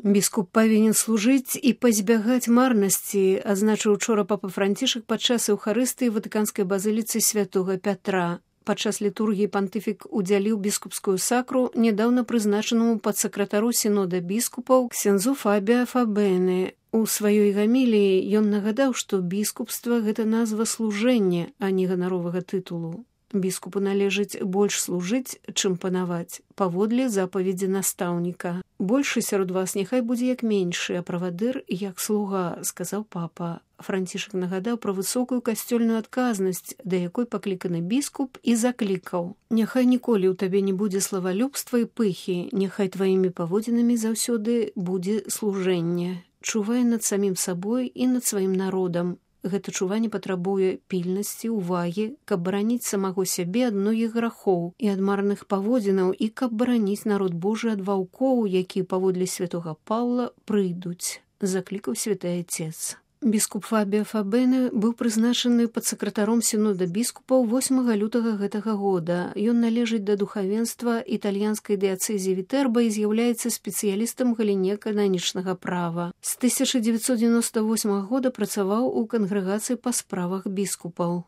Біскуп павінен служыць і пазбягаць марнасці, адзначыў учора папа Францішак падчас эўхарыстыі ватыканскай базыліцы святога Пятра. Падчас літургіі пантыфік удзяліў біскупскую сакру нядаўна прызначанаму падсакратару сінода біскупаў ксяндзу Фабіа Фабене. У сваёй гаміліі ён нагадаў, што біскупства – гэта назва служэння, а не ганаровага тытулу. Біскупу належыць больш служыць, чым панаваць, паводле запаведзі настаўніка. Большы сярод вас няхай будзе як меншы, а правадыр як слуга, сказаў папа. Францішак нагадаў пра высокую касцёльную адказнасць, да якой пакліканы біскуп, і заклікаў: «Няхай ніколі ў табе не будзе славалюбства і пыхі, няхай тваімі паводзінамі заўсёды будзе служэнне. Чувай над самім сабой і над сваім народам. Гэта чуванне патрабуе пільнасці, увагі, каб бараніць самого сябе ад многіх грахоў і ад марных паводзінаў, і каб бараніць народ Божы ад ваўкоў, якія паводле святога Паўла прыйдуць», заклікаў святы Отец. Біскуп Фабіа Фабене быў прызначаны падсакратаром сінода біскупаў 8 лютага гэтага года. Ён належыць да духавенства італьянскай дыяцэзіі Вітерба і з'яўляецца спецыялістам у галіне кананічнага права. З 1998 года працаваў у кангрэгацыі па справах біскупаў.